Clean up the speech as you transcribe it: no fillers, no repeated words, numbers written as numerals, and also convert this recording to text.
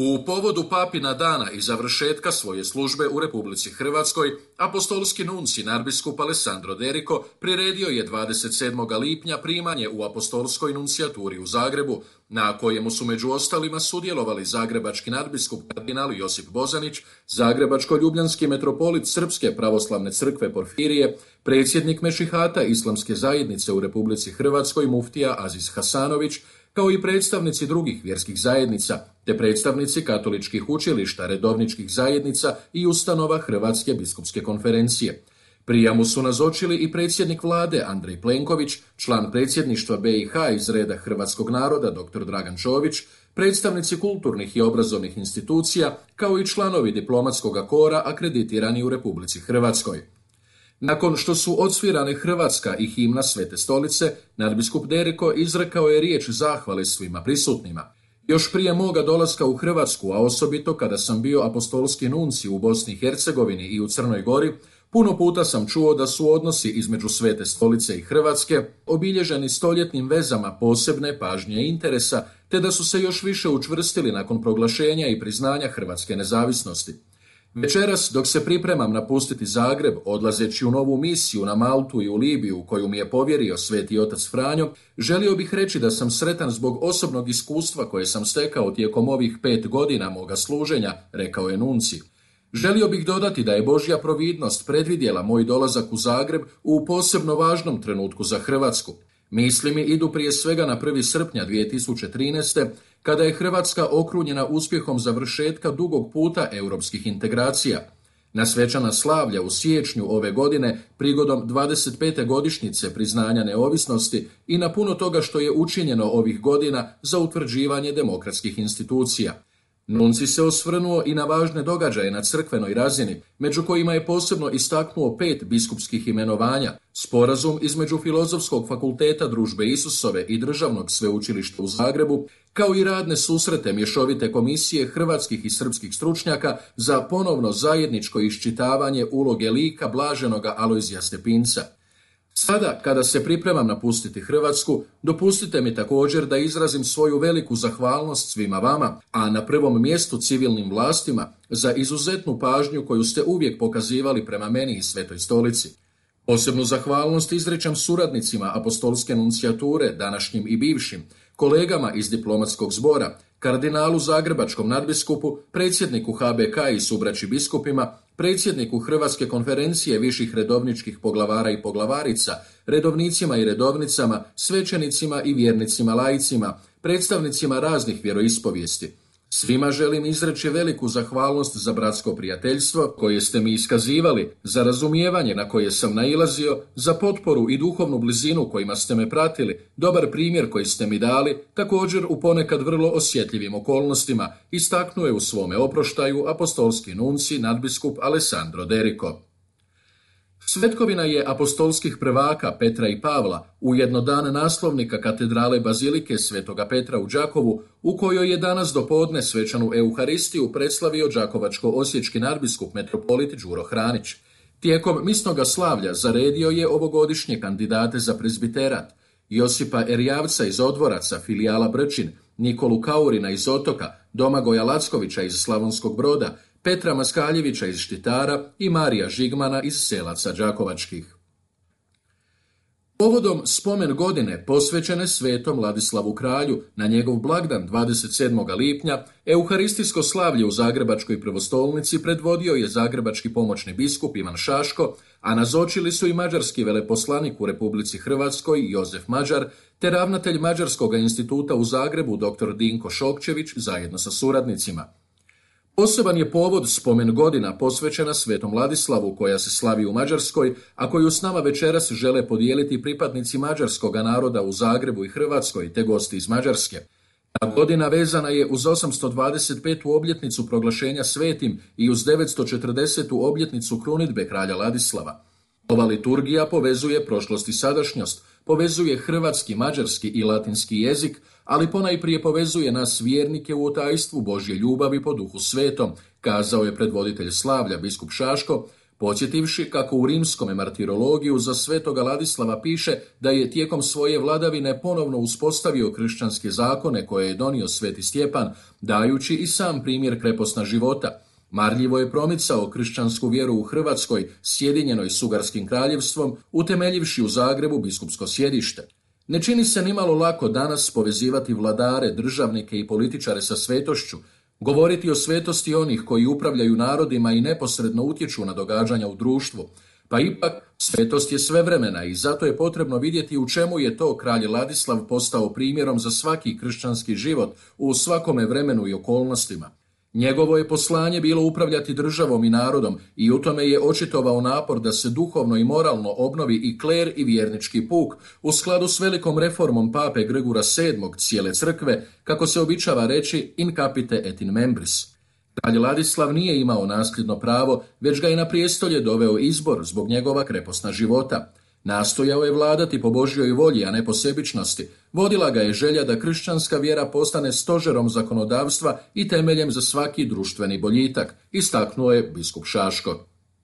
U povodu Papina dana i završetka svoje službe u Republici Hrvatskoj, apostolski nunci nadbiskup Alessandro Derico priredio je 27. lipnja primanje u apostolskoj nuncijaturi u Zagrebu, na kojemu su među ostalima sudjelovali zagrebački nadbiskup kardinal Josip Bozanić, zagrebačko-ljubljanski metropolit Srpske pravoslavne crkve Porfirije, predsjednik Mešihata Islamske zajednice u Republici Hrvatskoj muftija Aziz Hasanović, kao i predstavnici drugih vjerskih zajednica, te predstavnici katoličkih učilišta, redovničkih zajednica i ustanova Hrvatske biskupske konferencije. Prijamu su nazočili i predsjednik vlade Andrej Plenković, član predsjedništva BiH iz reda hrvatskog naroda dr. Dragan Čović, predstavnici kulturnih i obrazovnih institucija, kao i članovi diplomatskog kora akreditirani u Republici Hrvatskoj. Nakon što su odsvirane Hrvatska i himna Svete stolice, nadbiskup Derico izrekao je riječ zahvale svima prisutnima. Još prije moga dolaska u Hrvatsku, a osobito kada sam bio apostolski nunci u Bosni i Hercegovini i u Crnoj Gori, puno puta sam čuo da su odnosi između Svete stolice i Hrvatske obilježeni stoljetnim vezama posebne pažnje i interesa, te da su se još više učvrstili nakon proglašenja i priznanja hrvatske nezavisnosti. Večeras, dok se pripremam napustiti Zagreb, odlazeći u novu misiju na Maltu i u Libiju koju mi je povjerio sveti otac Franjo, želio bih reći da sam sretan zbog osobnog iskustva koje sam stekao tijekom ovih 5 godina moga služenja, rekao je nunci. Želio bih dodati da je Božja providnost predvidjela moj dolazak u Zagreb u posebno važnom trenutku za Hrvatsku. Misli mi idu prije svega na 1. srpnja 2013. kada je Hrvatska okrunjena uspjehom završetka dugog puta europskih integracija. Na svečana slavlja u siječnju ove godine prigodom 25. godišnjice priznanja neovisnosti i na puno toga što je učinjeno ovih godina za utvrđivanje demokratskih institucija. Nunci se osvrnuo i na važne događaje na crkvenoj razini, među kojima je posebno istaknuo 5 biskupskih imenovanja, sporazum između Filozofskog fakulteta Družbe Isusove i Državnog sveučilišta u Zagrebu, kao i radne susrete mješovite komisije hrvatskih i srpskih stručnjaka za ponovno zajedničko iščitavanje uloge lika blaženoga Alojzija Stepinca. Sada, kada se pripremam napustiti Hrvatsku, dopustite mi također da izrazim svoju veliku zahvalnost svima vama, a na prvom mjestu civilnim vlastima, za izuzetnu pažnju koju ste uvijek pokazivali prema meni i Svetoj stolici. Posebnu zahvalnost izričem suradnicima apostolske nuncijature, današnjim i bivšim, kolegama iz diplomatskog zbora, kardinalu zagrebačkom nadbiskupu, predsjedniku HBK i subraći biskupima, predsjedniku Hrvatske konferencije viših redovničkih poglavara i poglavarica, redovnicima i redovnicama, svećenicima i vjernicima laicima, predstavnicima raznih vjeroispovijesti. Svima želim izreći veliku zahvalnost za bratsko prijateljstvo koje ste mi iskazivali, za razumijevanje na koje sam nailazio, za potporu i duhovnu blizinu kojima ste me pratili, dobar primjer koji ste mi dali, također u ponekad vrlo osjetljivim okolnostima, istaknuo je u svome oproštaju apostolski nunci nadbiskup Alessandro Derico. Svetkovina je apostolskih prvaka Petra i Pavla, ujedno dan naslovnika katedrale Bazilike Svetoga Petra u Đakovu, u kojoj je danas dopodne svečanu Euharistiju predslavio đakovačko-osječki nadbiskup metropolit Đuro Hranić. Tijekom misnoga slavlja zaredio je ovogodišnje kandidate za prezbiterat: Josipa Erjavca iz Odvoraca, filijala Brčin, Nikolu Kaurina iz Otoka, Domagoja Lackovića iz Slavonskog Broda, Petra Maskaljevića iz Štitara i Marija Žigmana iz Selaca Đakovačkih. Povodom spomen godine posvećene svetom Ladislavu kralju na njegov blagdan 27. lipnja, euharistijsko slavlje u Zagrebačkoj prvostolnici predvodio je zagrebački pomoćni biskup Ivan Šaško, a nazočili su i mađarski veleposlanik u Republici Hrvatskoj Jozef Mađar, te ravnatelj Mađarskog instituta u Zagrebu dr. Dinko Šokčević zajedno sa suradnicima. Poseban je povod spomen godina posvećena svetom Ladislavu koja se slavi u Mađarskoj, a koju s nama večeras žele podijeliti pripadnici mađarskog naroda u Zagrebu i Hrvatskoj te gosti iz Mađarske. Ta godina vezana je uz 825. obljetnicu proglašenja svetim i uz 940. obljetnicu krunidbe kralja Ladislava. Ova liturgija povezuje prošlost i sadašnjost, povezuje hrvatski, mađarski i latinski jezik, ali ponajprije povezuje nas vjernike u otajstvu Božje ljubavi po Duhu Svetom, kazao je predvoditelj slavlja biskup Šaško, podsjetivši kako u rimskome martirologiju za svetoga Ladislava piše da je tijekom svoje vladavine ponovno uspostavio kršćanske zakone koje je donio sveti Stjepan, dajući i sam primjer kreposna života. Marljivo je promicao kršćansku vjeru u Hrvatskoj, sjedinjenoj s Ugarskim kraljevstvom, utemeljivši u Zagrebu biskupsko sjedište. Ne čini se nimalo lako danas povezivati vladare, državnike i političare sa svetošću, govoriti o svetosti onih koji upravljaju narodima i neposredno utječu na događanja u društvu. Pa ipak, svetost je svevremena i zato je potrebno vidjeti u čemu je to kralj Ladislav postao primjerom za svaki kršćanski život u svakome vremenu i okolnostima. Njegovo je poslanje bilo upravljati državom i narodom i u tome je očitovao napor da se duhovno i moralno obnovi i kler i vjernički puk u skladu s velikom reformom pape Grgura VII cijele crkve, kako se običava reći in capite et in membris. Kralj Ladislav nije imao nasljedno pravo, već ga je na prijestolje doveo izbor zbog njegova kreposna života. Nastojao je vladati po Božjoj volji, a ne po sebičnosti. Vodila ga je želja da kršćanska vjera postane stožerom zakonodavstva i temeljem za svaki društveni boljitak, istaknuo je biskup Šaško.